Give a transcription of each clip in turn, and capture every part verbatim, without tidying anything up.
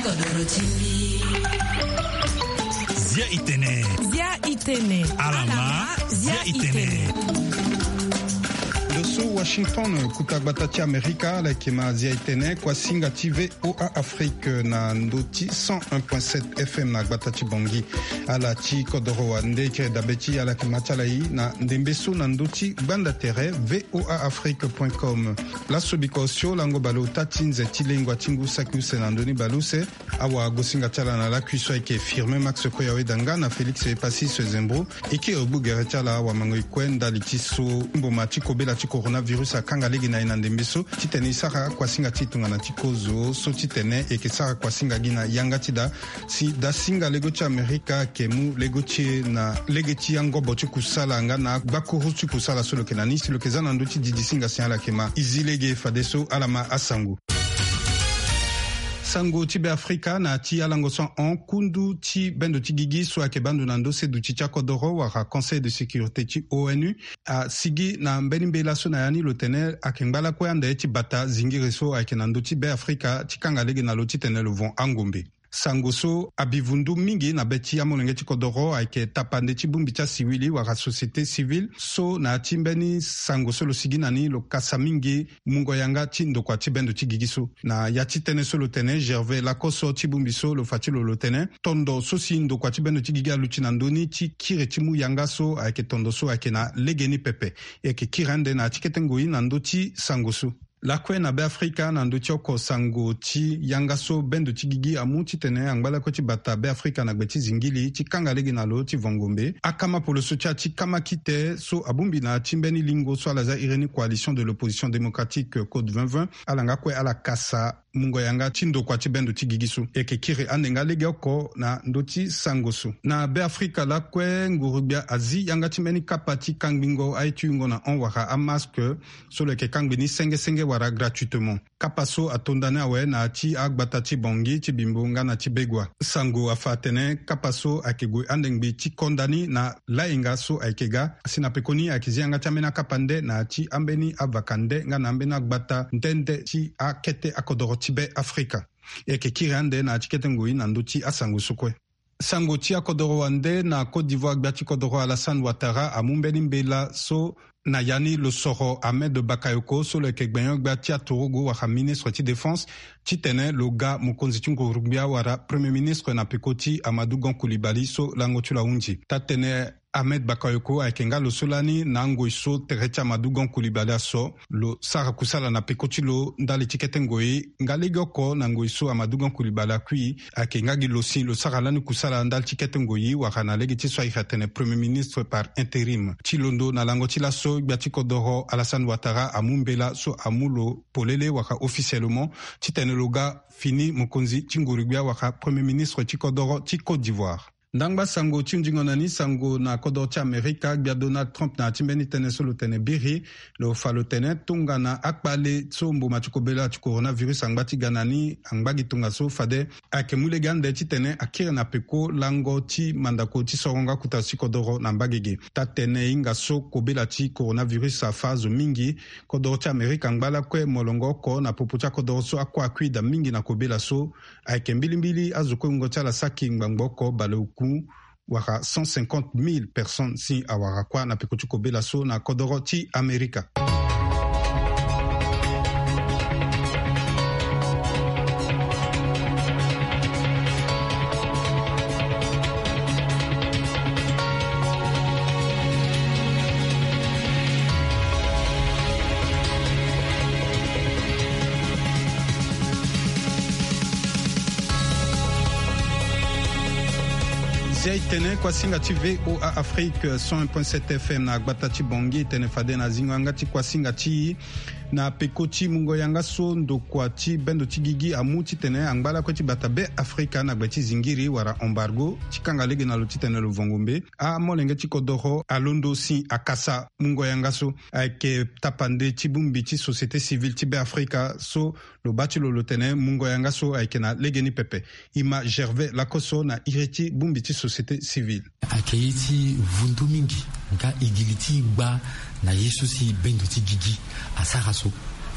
Zia itene. Zia itene. Alama. Zia itene. Ndo so Washington, kuta gbata ti Amerika, ala yeke ma Zia itene, kuasinga ti V O A Afrique na ndo ti cent un point sept F M na gbata ti Bangui. Ala ti kodoro wande kiri dabe ti ala yeke ma ti ala i na ndembe so na ndo ti gbanda tere V O A Afrique point com. Laso biko osio lango baleota ti nze ti lengua ti ngu saki use na ndoni baleuse. Awagosinga ti ala na lakui so ayeke Firmin Max Koyaweda nga na Félix Epasis Zembro. E kiri gbu gere ti ala awamangoi kue ndali ti so mboma ti kobela ti coronavirus akanga lege na e na ndembe so titene e sara kuasinga ti e tongana ti kozo so titene e yeke sara kuasinga gi na yanga ti da. Si dasinga lego ti Amerika ayeke mu lego ti e na lege ti angobo ti kusala nga na agbakuru ti kusala so lo yeke na ni si lo yeke za na ndö ti didisinga si ala yeke ma e zi lege fadeso ala ma asango. Sango ti Beafrika na ti alango so ahon, kundu ti bendo ti gigi so ayeke baa ndo na ndo seduti ti akodoro wala Conseil de sécurité ti O N U asigi na mbeni mbela so na ya ni lo tene ayeke ngba lakue ande ti bata zingiri so ayeke na ndö ti Beafrika ti kanga lege na lo titene lo von angombe. Sango so abi vundu mingi na be ti amolenge ti kodoro ayeke tapande ti bongbi ti asiwili wala société civile so na ya ti mbeni sango so lo sigi na ni lo kasa mingi mungo yanga ti ndokua ti bendo ti gigi so. Na ya ti tënë so lo tene Gervais Lakoso ti bongbi so lo fa ti lo lo tene tondo so si ndokua ti bendo ti gigi aluti na ndö ni ti kiri ti mu yanga so ayeke tondo so ayeke na legeni pepe. E yeke kiri ande na ya ti kete ngoi na ndö ti sango so. Lakue na Beafrika na ndö ti oko sango ti yanga so bendo ti gigi amu titene angba lakue ti bata Beafrika na gbe ti zingili ti kanga lege na lo ti vangombe akama poloso ti ya ti kama kite so abongbi na ya ti mbeni lingo so ala za iri ni Coalition de l'opposition démocratique, Code vingt vingt, ala nga kue ala kasa mungo yanga ti ndokua ti bendo ti gigi so. E yeke kiri ande nga legeoko na ndö ti sango so. Na Beafrika lakue nguru-gbia azi yanga ti mbeni kapa ti kangbingo aye ti yungo na hon wala amaske so lo yeke kangbi ni senge senge wala gratuitement. Kapa so atonda ni awe na ya ti agbata ti Bangui, ti Bimbo nga na ti Begoua. Sango afa atene kapa so ayeke gue ande ngbi ti konda ni na layenga so ayeke ga si na pekoni ayeke zi yanga ti ambeni akapa nde na ya ti ambeni avaka nde nga na ambeni agbata nde nde ti akete akodoro ti Beafrika. E yeke kiri ande na ya ti kete ngoi na ndö ti asango so kue. Sango ti akodoro wande na Côte d'Ivoire, gbia ti kodoro Alassane Ouattara amu mbeni mbela so na ya ni lo soro Ahmed Bakayoko so lo yeke gbenyo-gbia ti aturugu wala ministre ti défense titene lo ga mokonzi ti nguru-gbia wala Premier ministre na peko ti Amadou Gon Coulibaly so lango ti lo ahunzi. Taa tene Ahmed Bakayoko ayeke nga lo so lani na angoi so tere ti Amadou Gon Coulibaly aso. Lo sara kusala na peko ti lo ndali ti kete ngoi nga legeoko na ngoi so Amadou Gon Coulibaly akui. Ayeke nga gi lo si lo sara lani kusala ndali ti kete ngoi wala na lege ti so ayeke atene Premier ministre par intérim. Ti londo na lango ti laso, gbia ti kodoro Alassane Ouattara amu mbela so amu lo polele wala officiellement titene lo ga fini mokonzi ti nguru-gbia wala Premier ministre ti kodoro ti Côte d'Ivoire. Ndangba sango ti hundingo na ni sango na kodoro ti Amerika, gbia Donald Trump na ya ti mbeni tënë so lo tene biri, lo fa lo tene tongana akpale so mboma ti kobela ti coronavirus angba ti ga na ni angba gi tongaso fade ayeke mu lege ande titene akiri na peko lango ti mandako ti sorongo akuta ti kodoro na mbage ge. Taa tene e hinga so kobela ti coronavirus afa azo mingi, kodoro ti Amerika angba lakue molongo oko na popo ti akodoro so akue akui daa mingi na kobela so. Ayeke mbilimbili azo kue wungo ti ala saki ngbangbo oko baleoku wala cent cinquante mille personnes si awara kuâ na peko ti kobela so na kodoro ti Amerika. Zia e tene kuasinga ti V O A Afrique cent un point sept F M na gbata ti Bangui e tene fade na zingo yanga ti kuasinga ti e na peko ti mungo yanga so ndokua ti bendo ti gigi amu titene angba lakue ti bata Beafrika na gbe ti zingiri wala embargo ti kanga lege na lo titene lo vongo mbe. Amolenge ti kodoro alondo si akasa mungo yanga so. Ayeke tapande ti bongbi ti société civile ti Beafrika so lo baa ti lo lo tene mungo yanga so ayeke na legeni pepe. E ma Gervais Lakoso na iri ti bongbi ti société civile. Ayeke ye ti vundu mingi nga e gi li ti gba na ye so si bendo ti gigi asara so.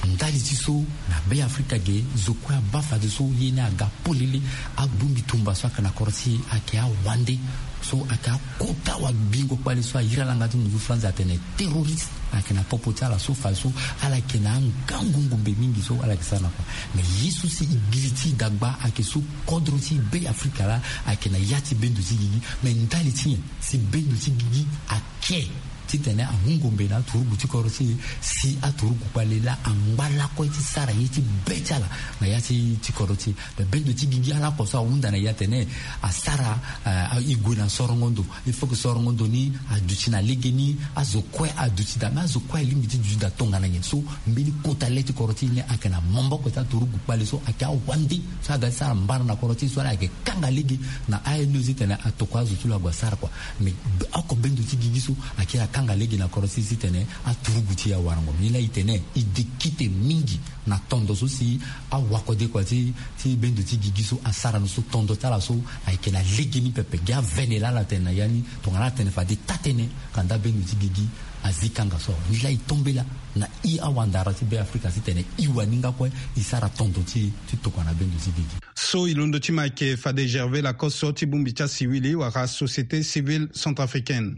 Ndali ti so na Be Afrika ge, zo kue abaa fadeso ye ni aga polele. Abongbi tumba so ayeke na kodro ti e ayeke awande, so ayeke akota wabingo kpale so ahiri ala nga ti munzu France atene terroriste. Ayeke na popo ti ala so fadeso ala yeke na angangu ngombe mingi so ala yeke sara na kua. Me ye so si e giri ti e dagba ayeke so kodro ti Be Afrika laa ayeke na ya ti bendo ti gigi. Me ndali ti nyen si bendo ti gigi ake titene amu ngombe na aturugu ti kodro ti e, si aturugu kpale laa angba lakue ti sara ye ti be ti ala na ya ti ti kodro ti e? Me bendo ti gigi ala oko so ahunda na e atene asara, eh, e gue na sorongo ndo. Il faut que sorongo ndo ni aduti na legeni, azo kue aduti daa. Me azo kue alingbi ti duti daa tongana nyen? So mbeni kota le ti kodro ti e ni ayeke na maboko ti aturugu kpale so ayeke awande so aga ti sara mbara na kodro ti e so ala yeke kanga lege na A N E titene atokua azo ti lo ague asara kua. Me oko bendo ti gigi so ayeke akanga lege na kodro ti e titene aturugu ti e awarango. Ni laa e tene e dekite mingi na tondo so si awakode kua ti, ti bendo ti gigi so asara ni so, tondo ti ala so ayeke na legeni pepe. Gi avene laa ala tene na ya ni tongana ala tene fade taa-tënë kanda bendo ti gigi azi kanga so awe. Ni laa e tombela na e awandara ti Be Afrika titene e waninga kue e sara tondo ti e ti tokua na bendo ti gigi. So e londo ti ma ayeke fade Gervais Lacoste so ti bongbi ti asiwili wala Société Civile Centrafricaine.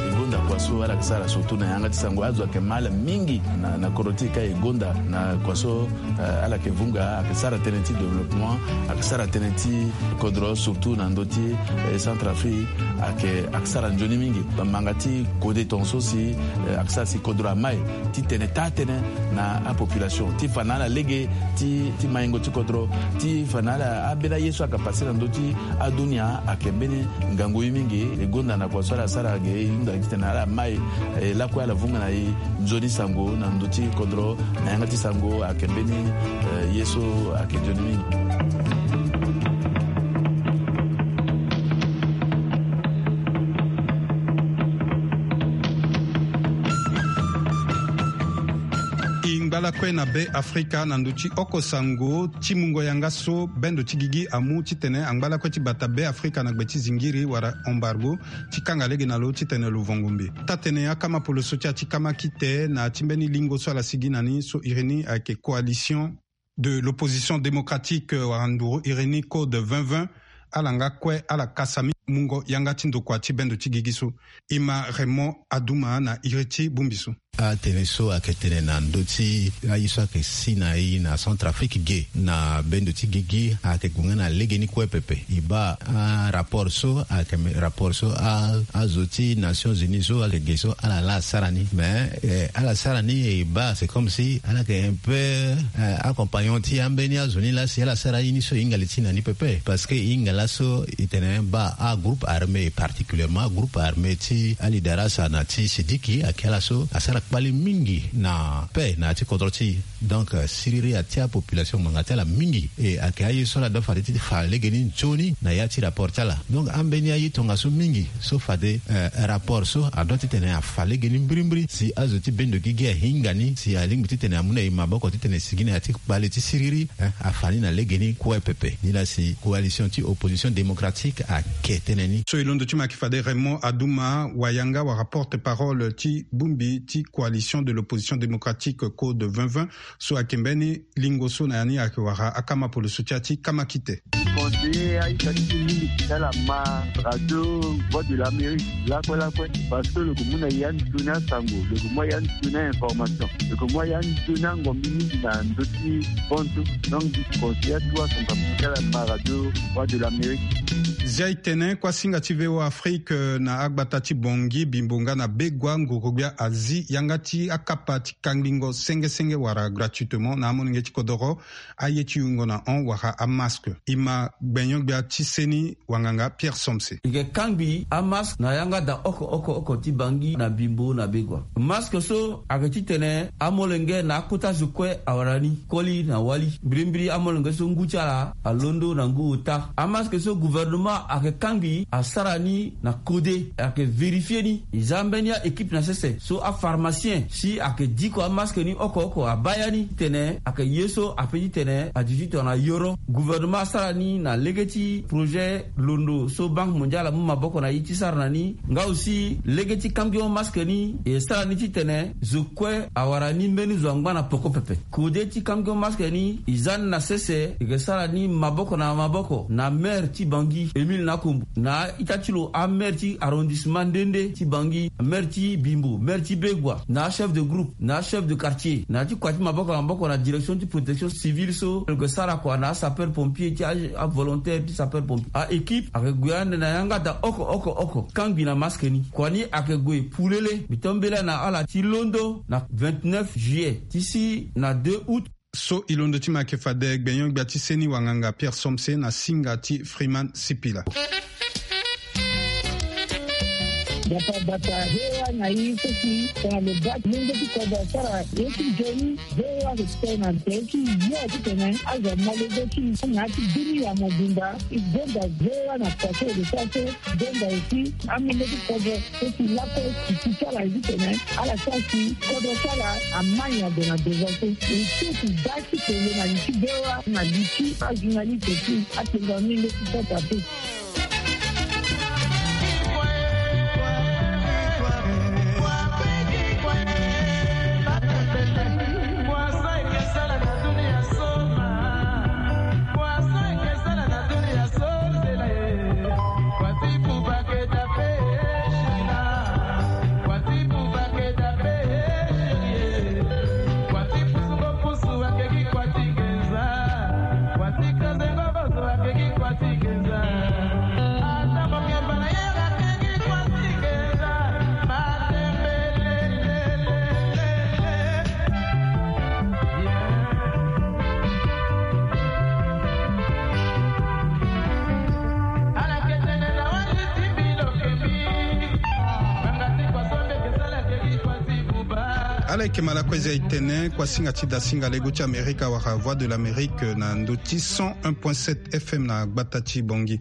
E gonda kua so ala yeke sara surtout na yanga ti sango, azo ayeke ma ala mingi na, na kodro ti e ka e gonda na kua so, eh, ala yeke vunga, ayeke sara tënë ti développement, ayeke sara tënë ti kodro surtout na ndö ti, eh, Centrafrique, ayeke, ayeke sara nzoni mingi. Manga ti kode tongaso si, eh, ayeke sara si kodro amai titene taa-tënë na apopulation ti fa na ala lege ti, ti maingo ti kodro, ti fa na ala ambeni aye so ayeke pase na ndö ti adunia ayeke mbeni ngangu ye mingi. E gonda na kua so ala sara ge, e hunda titene ala mai, eh, lakue ala vunga na e nzoni sango na ndö ti kodro na yanga ti sango ayeke mbeni, eh, ye so ayeke nzoni mingi. E ngba lakue na Be Afrika na ndö ti oko sango ti mungo yanga so bendo ti gigi amu titene angba lakue ti bata Be Afrika na gbe ti zingiri wala embargo ti kanga lege na lo titene lo vongo mbi. Taa-tënë akama poloso ti ya ti kama kite na ya ti mbeni lingo so ala sigi na ni so iri ni ayeke Coalition de l'Opposition Démocratique, euh, wala nduru iri ni Code vingt vingt, ala nga kue ala kasa mingi mungo yanga ti ndokua ti bendo ti gigi so. E ma Raymond Adouma na iri ti bongbi so. Atënë so ayeke tene na ndö ti aye so ayeke si na e na Centrafrique ge na bendo ti gigi ayeke gue nga na legeni kue pepe. E baa arapport so ayeke me-, rapport so a, azo ti Nations Unies so ayeke ge so ala laa asara ni. Mais, eh, ala sara ni e baa c'est comme si ala yeke un peu, eh, acompagnon ti ambeni azo ni laa si ala sara ye ni so e hinga li ti na ni pepe. Parce que e hinga laso e tene baa agroupe armé, particulièrement agroupe armé ti alidarasa na ti Sidiki ayeke ala so asara kpale mingi na paix na ya ti kodro ti e. Donc, euh, siriri atia population ngbanga ti ala mingi. E ayeke aye so ala doit fade ti fa legeni nzoni na ya ti rapport ti ala. Donc ambeni aye tongaso mingi so fade, euh, rapport so adoit titene afa legeni mbirimbiri si azo ti bendo gigi ahinga ni si alingbi titene amu na e maboko titene e sigi na ya ti kpale ti siriri, eh, afa ni na legeni kue pepe. Ni laa si Coalition ti Opposition Démocratique ayeke tene ni. So e londo ti ma ayeke fade Raymond Adouma, wayanga wala porte-parole ti bongbi ti Coalition de l'Opposition Démocratique Code vingt vingt, so ayeke mbeni lingo so na ya ni ayeke wara akama poloso ti ya ti kama kite. Conseiller aita ti ti mingi ti ala ma radio Voix de l'Amérique lakue lakue, parce que lo yeke mu na e ya ni sioni asango, lo yeke mu ya ni sioni a-information, lo yeke mu ya ni sioni angombi mingi na ndö ti bantu. Donc mbi conseiller atu asango ti ala ma radio Voix de l'Amérique. Zia e tene kuasinga ti V O A Afrique, euh, na agbata ti Bangui, Bimbo nga na Begoua, nguru-gbia azi yanga ti akapa ti kangbingo senge senge wala gratuitement na amolenge ti kodoro, aye ti yungo na hon wala amasque. E ma gbenyo-gbia ti seni wanganga Pierre Somse. E yeke kangbi amasque na yanga daa oko oko oko ti Bangui na Bimbo na Begoua. Masque so ayeke titene amolenge na akota zo kue awara ni koli na wali. Mbirimbiri amolenge so ngu ti ala alondo na ngu ota. Amasque so gouvernement ayeke kangbi asara ni na kode, ayeke vérifier ni. E za mbeni a-équipe na sese so apharmacien si ayeke diko amasque ni oko oko abaa ya ni titene ayeke ye so ape titene aduti tongana yoro. Gouvernement asara ni Na lege ti projet londo so Banque Mondiale amu maboko na e ti sara na ni nga aussi lege ti kangbi o masque ni e sara ni titene zo kue awara ni mbeni zo angba na poko pepe. Kode ti kangbi o masque ni e za ni na sese e ke sara ni maboko na maboko na maire ti Bangui Émile Nakombo, na a-ita ti lo amaire ti arrondissement nde nde ti Bangui, maire ti Bimbo, maire ti Begoua, na achef de groupe, na achef de quartier, na ya ti kua ti maboko na maboko na direction ti protection civile so lo ke sara kua na asapeur pompier ti avolontaire ti sapeur pompier. Aéquipe ayeke gue ande na yanga daa oko oko oko kangbi na masque ni. Kua ni ayeke gue pulele. Mbi tombela na ala ti londo na vingt-neuf juillet ti si na deux août. So e londo ti ma yeke fade gbenyo-gbia ti seni wanganga Pierre Somse na singa ti Freeman Sipila. Bata bata hewa na i soki tongana lo baa ti lenge ti kodro asara ye ti nzoni. Hewa respect na nze ti yo titene azo amolege ti na ti bini ya mobimba. I gonda hewa na kua so e lo sara so. Gonda aussi amolege ti kodro so si lakue si ti sara e titene ala sara si kodro ti ala amai ague na devant so. E so si baa ti tene na li ti hewa na li ti ajournaliste ti atenga ni nde ti sota te. Ala yeke ma lakue zi aye tene kuasinga ti dasinga lego ti Amerika wala Voix de l'Amérique na ndö ti cent un point sept F M na gbata ti Bangui.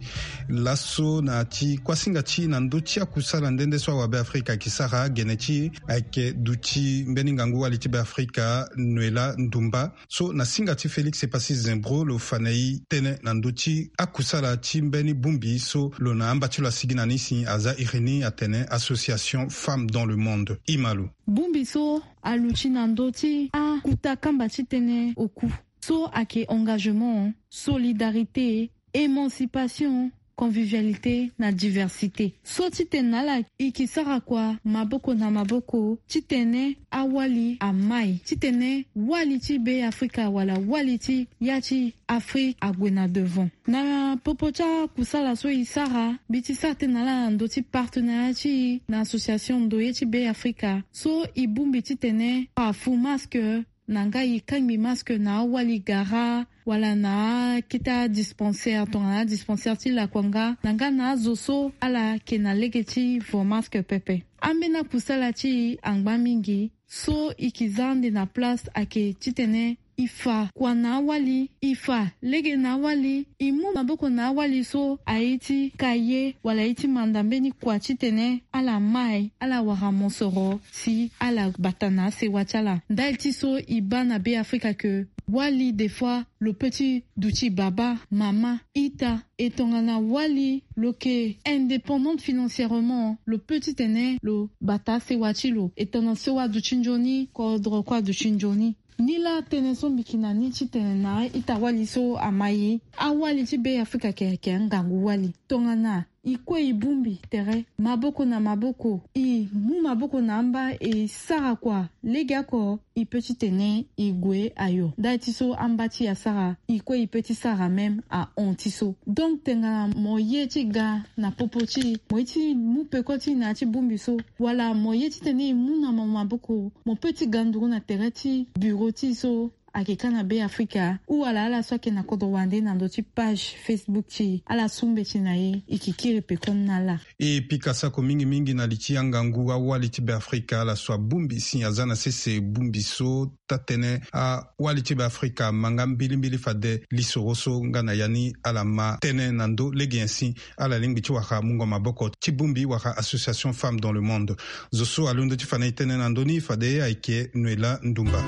Laso na ti kuasinga ti na ndö ti akusala nde nde so awabe Afrika ayeke sara gene ti ayeke duti mbeni ngangu wali ti be Afrika Noëlla Ndoumba. So na singa ti Félix Epassi Zembro lo fa na e tënë na ndö ti akusala ti mbeni bongbi so lo na amba ti lo asigi na ni si aza iri ni atene Association Femmes dans le Monde. Ima lo. Bongbi so aluti na ndö ti akuta kamba ti tënë oku so ayeke engagement, solidarité, émancipation, convivialité na diversité. So titene na ala e ke sara kua maboko na maboko titene awali amai titene wali ti be Afrika wala wali ti ya ti Afrika ague na devant. Na popo ti akusala so e sara mbi ti sara tënë na ala na ndö ti partenariat ti e na association ndoye ti be Afrika so e bongbi titene afu masque na nga e kangbi masque na awali gara wala na akete adispensaire tongana adispensaire ti lakua nga na nga na azo so ala yeke na lege ti vo masque pepe. Ambeni akusala ti e angba mingi so e ke za ande na place ayeke titene e fa kua na awali, e fa lege na awali, e mu maboko na awali so aye ti ka ye wala aye ti manda mbeni kua titene ala mai ala wara mosoro si ala bata na asewa ti ala. Ndali ti so e baa na be Afrika ke wali des fois lo peut ti duti baba, mama, ita, e tongana wali lo yeke indépendante financièrement lo peut titene lo bata asewa ti lo e tongana sewa aduti nzoni, kodro kue aduti nzoni. Nilaa tënë so mbi yeke na ni titene na a-ita wali so amai awali ti be Afrika ayeke ayeke angangu wali. Tongana e kue e bongbi tere maboko na maboko, e mu maboko na amba e sara kua legeoko, e peut titene e gue ayo. Ndali ti so amba ti e asara, e kue e peut ti sara même ahon ti so. Donc tongana mo ye ti ga na popo ti e, mo ye ti mu peko ti e na ya ti bongbi so, wala mo ye titene e mu na mo maboko, mo peut ti ga nduru na tere ti bureau ti e so ayeke ka na be Afrika ou wala ala so ayeke na kodro wande na ndö ti page Facebook ti e, ala su mbeti na e, e yeke kiri peko ni na ala. E pika sako mingi mingi na li ti angangu awali ti be Afrika, ala so abongbi si aza na sese bongbi so taa-tënë awali ti be Afrika ama nga mbilimbili fade lisoro so nga na ya ni ala ma tënë na ndö lege nyen si ala lingbi ti wara mungo maboko ti bongbi wala Association Femmes dans le Monde. Zo so alondo ti fa na e tënë na ndö ni fade ayeke Noëlla Ndoumba.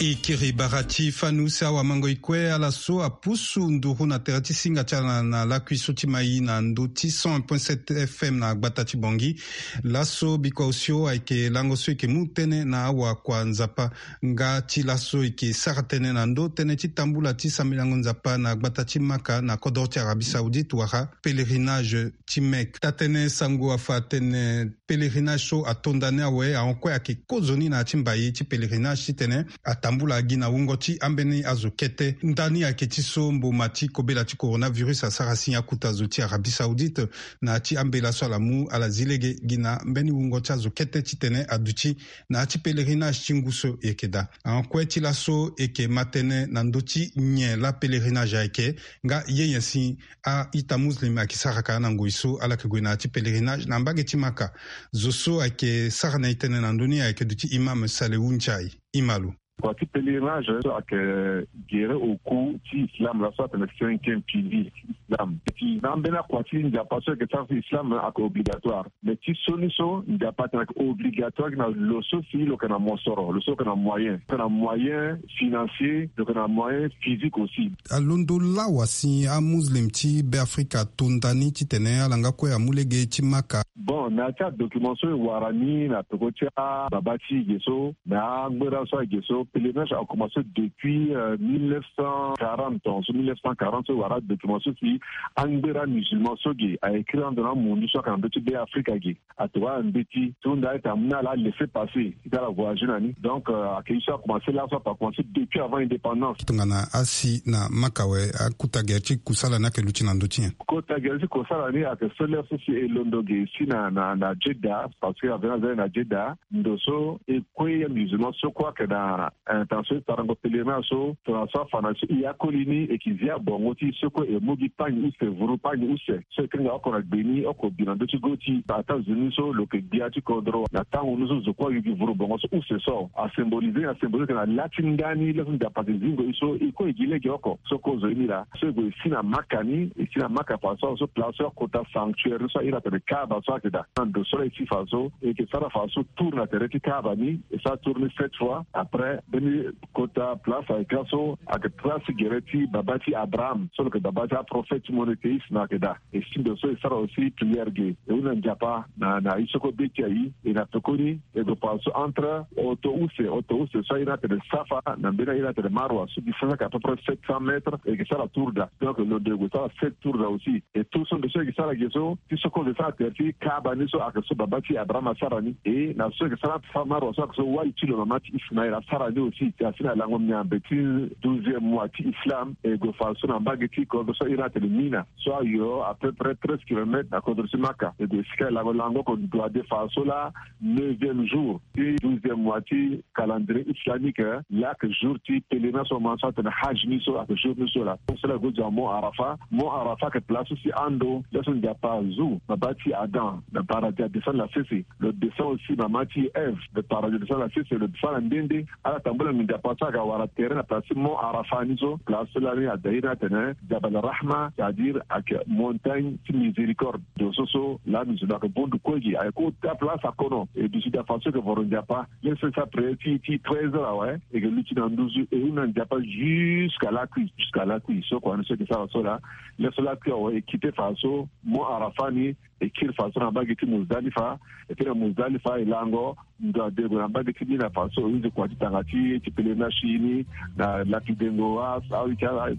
E kiri bara ti fani use awamango e kue ala so apusu nduru na tere ti singa ti ala na lakui so ti mai na ndö ti cent un point sept F M na gbata ti Bangui. Laso bikua osio ayeke lango so e yeke mu tënë na awakua Nzapa. Nga ti laso e yeke sara tënë na ndö tënë ti tambula ti sambelango Nzapa na gbata ti Maka na kodro ti Arabie Saoudite wala pèlerinage ti Mecque. Taa-tënë sango afa atene pèlerinage so atonda ni awe ahon kue ayeke kozoni na ya ti mbai ti pèlerinage titene atambula gi na wungo ti ambeni azo kete. Ndani ayeke ti so mboma ti kobela ti coronavirus asara si akuta zo ti Arabie Saoudite na ya ti ambela so ala mu ala zi lege gi na mbeni wungo ti azo kete titene aduti na ya ti pèlerinage ti ngu so e yeke daa. Ahon kue ti laso e yeke ma tënë na ndö ti nyen laa pèlerinage ayeke, nga ye nyen si a-ita muslim ayeke sara ka na ngoi so ala yeke gue na ya ti pèlerinage na mbage ti Maka. Zo so ayeke sara na e tënë na ndö ni ayeke duti Imam Salewu Nchai. Imam lo. Kua ti pèlerinage so ayeke gere oku ti islam, laso atene cinquième pilier ti islam. Ti na ambeni akua ti Nzapa so ayeke sara ti islam ayeke obligatoire. Mais ti so ni so Nzapa atene ayeke obligatoire gi na lo so si lo yeke na mosoro, lo so lo yeke na moyen, lo yeke na moyen financier, lo yeke na moyen physique aussi. Alondo lawa si amuslim ti Beafrika atonda ni titene ala nga kue amu lege ti Maka. Bon, na ya ti adocument so e wara ni na peko ti ababa ti e ge so, na angbera so ayeke ge so, pèlerinage akomanse depuis euh, mille neuf cent quarante, ton so mille neuf cent quarante so e wara adocument so si angbera musulman so ge a écrit ando na amundu so ayeke na ndö ti Beafrika ge. Atokua na mbeti so nda ete amu na ala laisser passer ti ala voyager na ni. Donc euh, ayeke ye so akomanse laso ape akomanse depuis avant indépendance. Tongana asi na Maka awe, akota gere ti kusala ni ayeke luti na ndö ti nyen? Kota gere ti kusala ni ayeke so lere so si e londo ge si na na na Jeddah, parce que aveni aza ni na Jeddah. Ndo so e kue amusulman so kue ayeke na intention ti sarango pèlerinage so, tongana so afa na so e akoli ni e yeke zi abongo ti e so kue e mu gi pagni use, vuru pagni use so e kanga oko na gbe ni oko bi na ndö ti go ti e. Ataa zo ni so lo yeke gbia ti kodro na tango ni so zo kue ayu gi vuru bongo so use so. Asymboliser, asymboliser ayeke na la ti ndani laso Nzapa ayeke zingo e so e kue e gi lege oko so kozo ye ni laa. So e gue e si na Maka ni, e si na Maka fa so, so place so akota sanctuaire ni so a iri atene Kaaba so ayeke daa. Na ndo so laa e si fa so e yeke sara fa so tour na tere ti Kaaba ni, e sara tour ni sept fois. Après mbeni kota place ayeke laso ayeke place gere ti baba ti Abraham so lo yeke baba ti aprophète monothéiste na ayeke daa. E si ndo so e sara aussi prière ge, e hunda Nzapa na na ye so kue be ti aye. E na pekoni e gue fa so entre oto use, oto use so a iri atene Safa na mbeni a iri atene Marwa so distance ayeke à peu près sept cents mètres, e yeke sara tour daa. Donc lo ndo e gue sara sept tour daa aussi. E tour so ndo so e yeke sara ge so ti so kue lo sara tere ti Kaaba ni so ayeke so baba ti Abraham asara ni. E na so e yeke sara Safa Marwa so ayeke so wali ti lo mama ti Ismaël asara ni aussi. Asi na lango miambe ti douzième mois ti Islam, e gue fa so na mbage ti kodro so a iri atene Mina. So ayo à peu près treize kilomètres na kodro ti Maka. E gue sika e lango lango oko duade fa so laa neuvième jour ti douzième mois ti calendrier islamique, laa ayeke jour ti pèlerinage so mo ma so atene Hajj ni so ayeke jour ni so laa. So laa e gue zo na Mont Arafat. Mont Arafat ayeke place so si ando laso Nzapa azu baba ti Adam na paradis adescendre na sese. Lo descend aussi mama ti Ève na paradis adescendre na sese, lo descend na nde nde. Ala tambula nginza Nzapa so ayeke wara tere na place ti Mont Arafat ni so. Place so lani ada iri atene Jabal Rahma, c'est-à-dire ayeke montagne ti miséricorde. Ndo so so lani zo lo ayeke bondu kue gi, ayeke kota place akono. E duti daa fa so e yeke voro Nzapa. Lere so e sara prière ti ti treize heures awe, e yeke luti na nduzu, e hunda Nzapa jusqu'à lakui, jusqu'à lakui. So kua ni so e yeke sara so laa. Lere so lakui awe, e kite fa so Mont Arafat ni, e kiri fa so na mbage ti Muzdalifa. E kiri na Muzdalifa, e lango ndo ade gue na mbage ti Mina fa so e use kua ti tanga ti ti pèlerinage ti e ni na lapidengo a, a, a,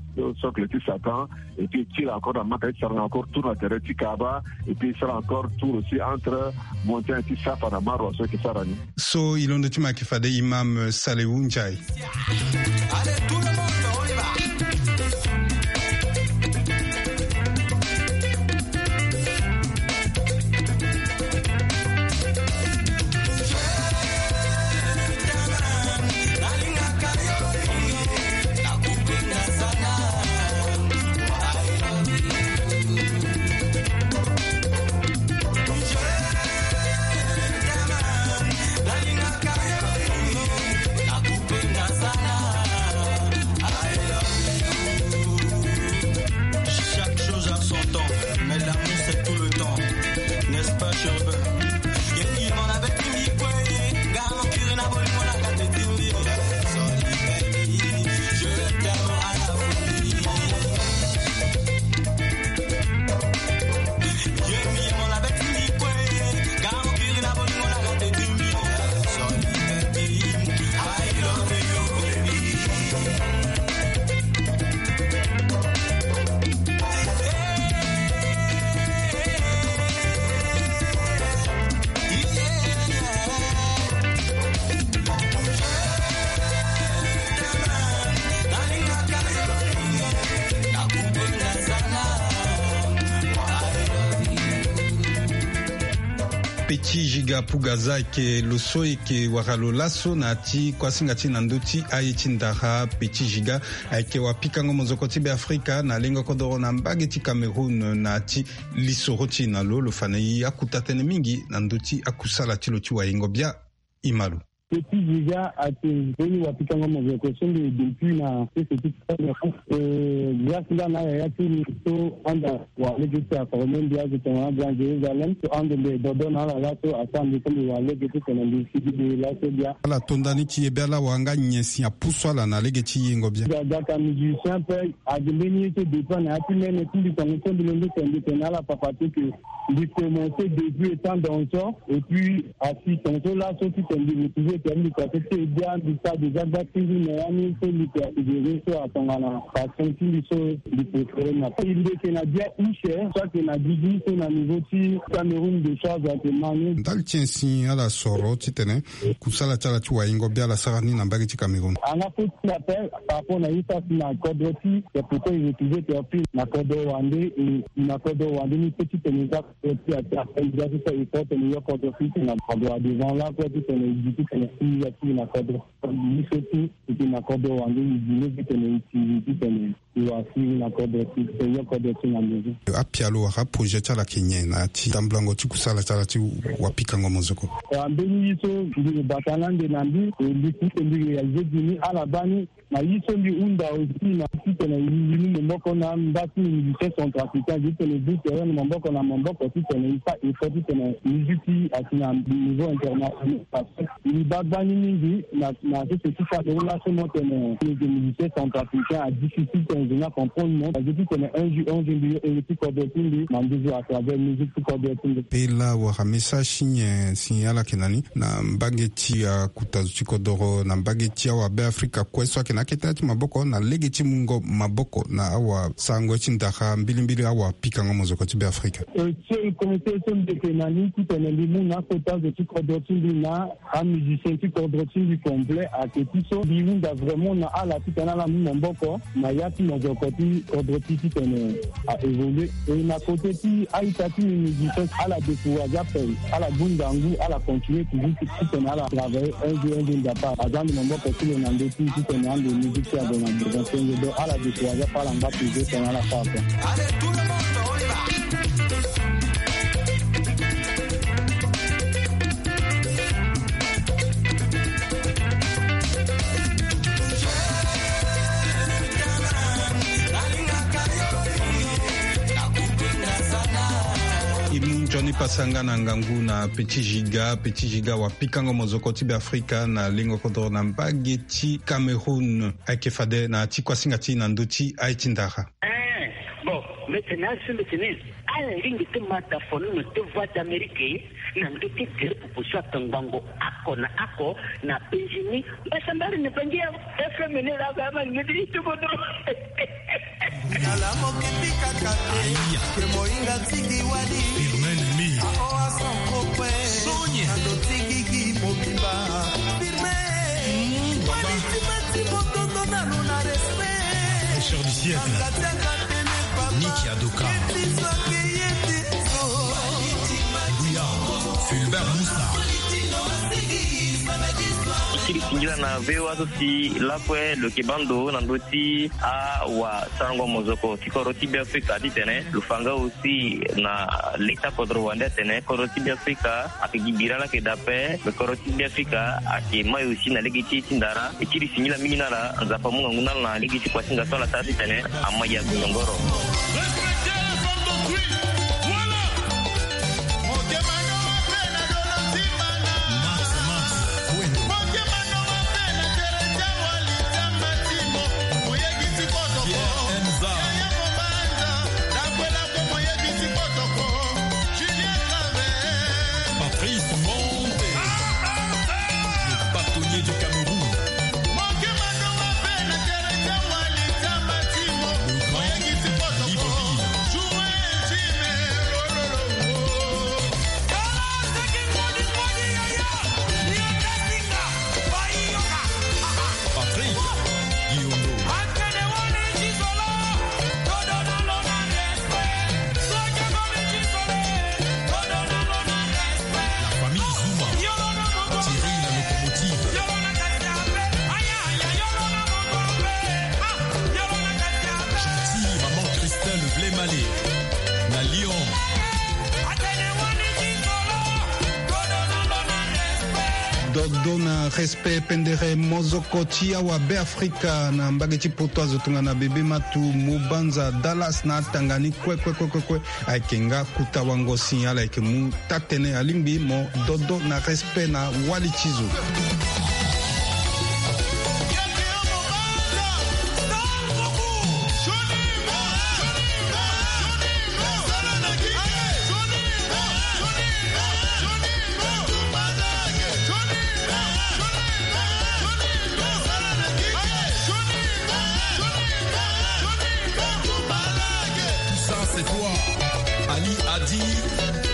socle ti Satan. Et puis e tire encore na Maka, e sara encore tour na tere ti Kaaba. Et puis e sara encore tour aussi entre montagne ti Safa na Marwa so e yeke sara ni. So e londo ti mo ayeke fade Imam Salewu Nzai. Petit Giga Pugaza ayeke lo so eke wara lo laso na ya ti kuasinga ti na ndö ti aye ti ndara. Petit Giga ayeke wapikango mozoko ti Be Afrika na lengo kodoro na mbage ti Cameroun na ya ti lisoro ti e na lo. Lo fa na e akuta tënë mingi na ndö ti akusala ti lo ti wayengo bia. E ma lo. Petit Giga ayeke mbeni wapikango mozoko so mbi depuis na sese ti Cameroun. Eh, grâce nga na yaya ti mbi so anda wa lege ti aforme mbi azo tongana Grand Jérusalem so ando mbi dodo na ala laso asara mbi so mbi wa lege ti tene mbi sigi mbi laso bia. Ala tonda ni ti ye bia la wa nga nyen si apusu ala na lege ti yengo bia. Ga ga ka musicien pe ade mbeni ye so dépend na ya ti mene ti mbi tongo so mbi londo tene mbi tene ala papa ti ke mbi commencé depuis étant danseur et puis asi tongo so laso ti tene mbi retrouvé tene mbi kua so ti e bia mbi sara déjà gba ti ngu na ya ni so mbi ke asidere so atongana passion ti mbi so mbi préféré na mbi yeke na bia use so ayeke na gigi so na niveau ti Cameroun de charge ayeke ma ni. Ndali ti nyen si ala soro titene kusala ti ala ti wayengo bia ala sara ni na mbage ti Cameroun? Anga fo ti appel par rapport na ye so asi na kodro ti c'est pourquoi il retrouvé terpile na kodro wande e na kodro wande ni so titene eza kodro ti ati appel eza ti so effort tene yo kodro ti tene na kodro devant la kue titene e gi titene si ya ti na kodro biso ti titene na kodro wande e gi lege titene e tiri titene e wa si na kodro ti titene yo kodro ti na maison. Apialo wala aprojet ti ala ayeke nyen na ya ti tambulango ti kusala ti ala ti wapikango mozoko? Wa mbeni ye so mbi bata na ande na mbi e mbi ti tene mbi réalisé gi ni ala baa ni. Na ye so mbi hunda aussi na titene mbi mu maboko na mba ti musicien centrafricain titene mbi tere na maboko na maboko titene mbi fa effort titene musique ti asi na niveau international parce que mbi baa gbani mingi na na sese ti Cameroun laso mo tene mbi yeke musicien centrafricain a difficile tene mbi na comprendre mo parce que titene un jour un jour mbi yo ere ti kodro ti mbi na mbi zo à travers musique ti kodro ti mbi. Pe la wala message ti nyen si ala yeke na ni na mbage ti akuta zo ti kodoro na mbage ti awabe afrika kue so ayeke na akete ti maboko na lege ti mungo maboko na awasarango ti ndara mbilimbili awapikango mozoko ti be afrika. Seul conseil so mbi yeke na ni titene mbi mu na akota zo ti kodro ti mbi na amusicien ti kodro ti mbi complet ayeke ti so mbi hunda vraiment na ala titene ala mu maboko na ya ti mozoko ti kodro ti titene a évolué. E na côté ti a-ita ti mbi mbi gi so ala découragé ape ala bunda ngu ala continué toujours ti titene ala travaillé un jour un jour nzapa aza ande maboko ti lo na ndö ti titene ande musique ti azo na besoin ti nge donc ala découragé ape ala ngba toujours titene ala fâ ape. E mu nzoni pasa nga na ngangu na petit giga petit giga wa pikango mozoko ti be afrika na lengo kodoro na mbage ti cameroun. Ayeke fade na ti kuasinga ti na ndö ti aye ti ndara. Eh, bon, mete na asu mete ni. Ala lingbi ti ma da fonono ti voix d'amérique na ndö ti tere pupu so atongbango ako na ako na benzini. Mbasa mbari ni bangi ya fm ni la ga ma ngedi ti bodo. Nala moke ti kaka te ke moinga tiki wali. Firme ennemi. Aoa sans propre. Sonia. Ando tiki ki mobimba. Firme. Wali ti ma ti bototo na lo na respect. Richard du siècle. Niki Adoka. Guya. Fulbert Musa. Osili singila na voa so si lakue lo yeke bando na ndö ti awasarango mozoko ti kodro ti be afrika titene lo fa nga aussi na leta kodro wande atene kodro ti be afrika ayeke gi bira lake dape. Kodro ti be afrika ayeke mai aussi na lege ti ye ti ndara. E kiri singila mingi na ala nzapa amu ngangu na ala na lege ti kuasinga so ala sara titene amai ya gozongoro. Patrice Monte, le bâtonnier du Cameroun. Le grand livre Dodo na respect pendere mozoko ti awa Beafrika na mbage ti poto azo tongana Bebe Matu, Mobanza, Dallas na atanga ni kue kue kue kue kue. Ayeke nga kuta wango si ala yeke mu taa-tënë alingbi mo dodo na respect na wali ti zo. Tout ça, c'est toi. Ali Adi,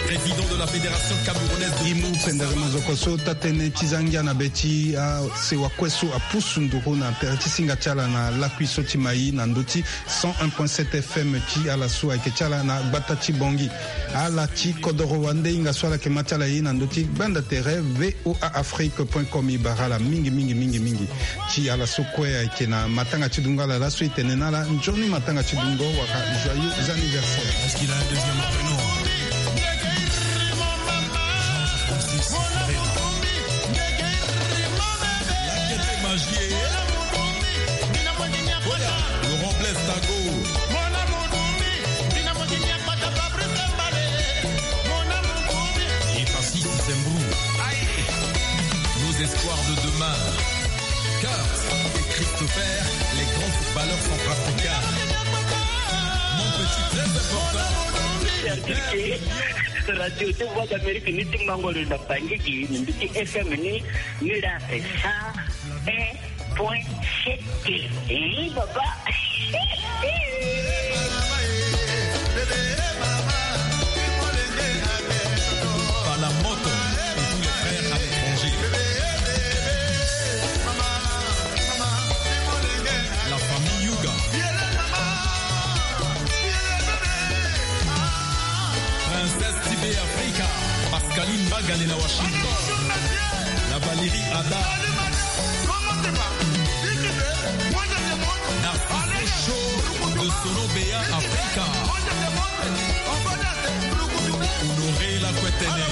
président de la Fédération camerounaise de... Imu pendere mozoko so taa-tënë ti za ngia na be ti asewa kue so apusu nduru na tere ti singa ti ala na lakui so ti mai na ndö ti cent un point sept F M ti ala so ayeke ti ala na gbata ti Bangui. Ala ti kodoro wande hinga so ala yeke ma ti ala ye na ndö ti gbanda tere V O A Afrique point com. E bara ala mingi mingi mingi mingi. Ti ala so kue ayeke na matanga ti dungo ala laso, e tene na ala nzoni matanga ti dungo wala joyeux anniversaire. Est-ce qu'il a un deuxième prénom? Georges Francis Ferreira. Magie. Laurent Blaise Tago. Et Francis Zembrou. Nos espoirs de demain. Kurt et Christopher, les grands footballeurs centrafricains. Mon petit, très important. Radio ti Voix d'Amérique ni ti Mbangolo na Bangui, ni ti F M ni, ni la sa. Point C T. Eh, papa. Palamoto et tous les frères à l'étranger. La famille Yuga. Princesse Tibé Africa. Pascaline Bagale na Washington. La Valérie Ada. Narciso Show de Solo Béa Africa. Honoré Lakwetene.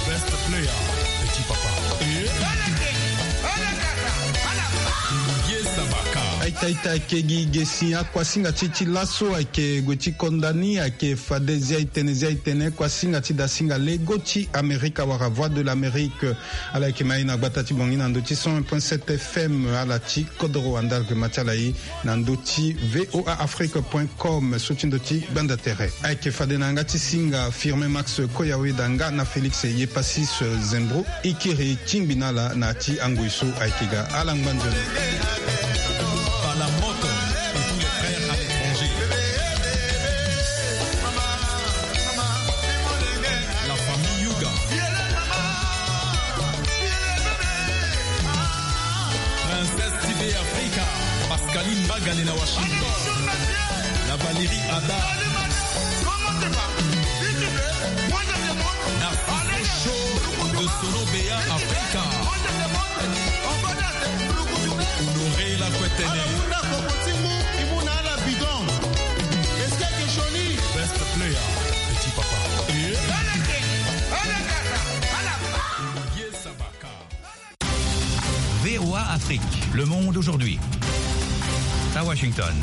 Best player, petit papa. Ye Sabaka. Aita, aita, kegi, gesi, akuasinga ti, ti laso, ayeke gue ti konda ni, ayeke fade zia e tene, zia e tene, kuasinga ti dasinga lego ti Amerika wala Voix de l'Amérique. Ala yeke ma e na gbata ti Bangui na ndö ti cent un point sept F M, ala ti kodoro wande ala yeke ma ti ala e na ndö ti V O A Afrique point com, so ti ndö ti gbanda tere. Ayeke fade na yanga ti singa Firmin Max Koyaweda nga na Félix Yepasis Zembro, e kiri tingbi na ala na ya ti angoi so ayeke ga. Ala ngba nzoni. Palamoto et tous les frères à l'étranger. La famille Yuga. Princesse Tibé Africa. Pascaline Bagale na Washington. La Valérie Ada. Narciso Show de Solo Béa Africa. Honoré Lakwetene. Best player, petit papa. V O A Afrique, le monde aujourd'hui. À Washington.